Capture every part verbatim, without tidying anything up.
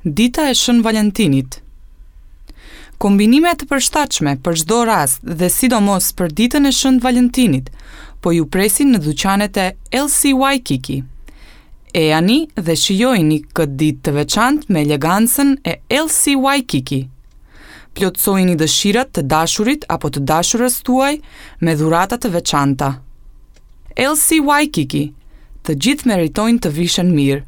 Dita e Shën Valentinit. Kombinime të përshtatshme për çdo rast dhe sidomos për ditën e Shën Valentinit, po ju presin në dyqanet e L C Waikiki. Ejani dhe shijojini këtë ditë të veçantë me elegancën e L C Waikiki. Plotësojini dëshirat të dashurit apo të dashurës tuaj me dhurata të veçanta. L C Waikiki, të gjithë meritojnë të vishen mirë.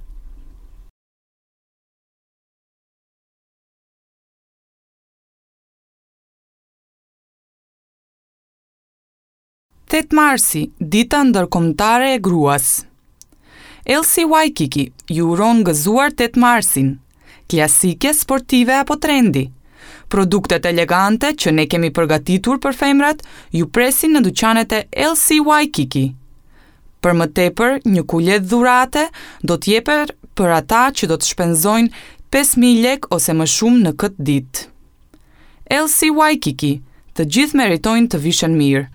Tetë marsi, Dita Ndërkombëtare e Gruas. L C Waikiki ju uron gëzuar tetë marsin. Klasike, sportive apo trendi. Produktet elegante që ne kemi përgatitur për femrat ju presin në dyqanet e L C Waikiki. Për më tepër, një kuletë dhurate do të jepet për ata që do të shpenzojnë pesë mijë lekë ose më shumë në këtë ditë. L C Waikiki, të gjithë meritojnë të vishen mirë.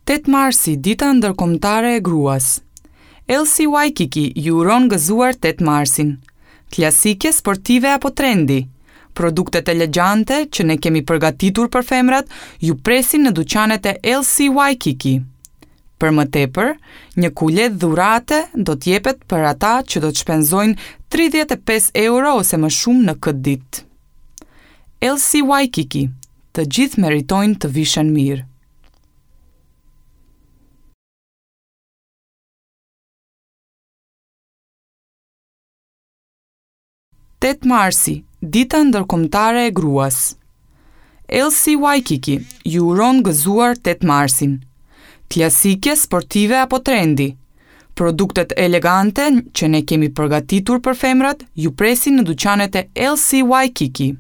Tetë marsi, Dita Ndërkombëtare e Gruas. L C Waikiki ju uron gëzuar tetë marsin. Klasike, sportive apo trendi. Produktet elegante që ne kemi përgatitur për femrat ju presin në dyqanet e L C Waikiki. Për më tepër, një kuletë dhurate do të jepet për ata që do të shpenzojnë tridhjetë e pesë euro ose më shumë në këtë ditë. L C Waikiki, të gjithë meritojnë të vishen mirë. Tetë marsi, Dita Ndërkombëtare e Gruas. L C Waikiki ju uron gëzuar tetë marsin. Klasike, sportive apo trendi. Produktet elegante që ne kemi përgatitur për femrat ju presin në dyqanet e L C Waikiki.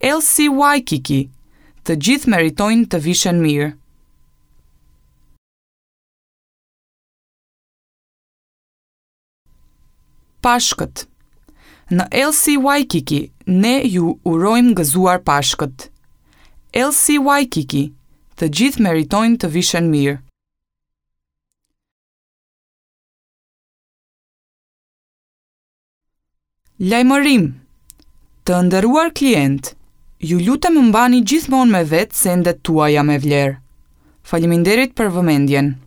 L C Waikiki, të gjithë meritojnë të vishen mirë. Pashkët. Në L C Waikiki ne ju urojmë gëzuar Pashkët. L C Waikiki, të gjithë meritojnë të vishen mirë. Lajmërim! Të nderuar klient, ju lutem mbani gjithmonë me vetë sendet tuaja me vlerë. Faleminderit për vëmendjen.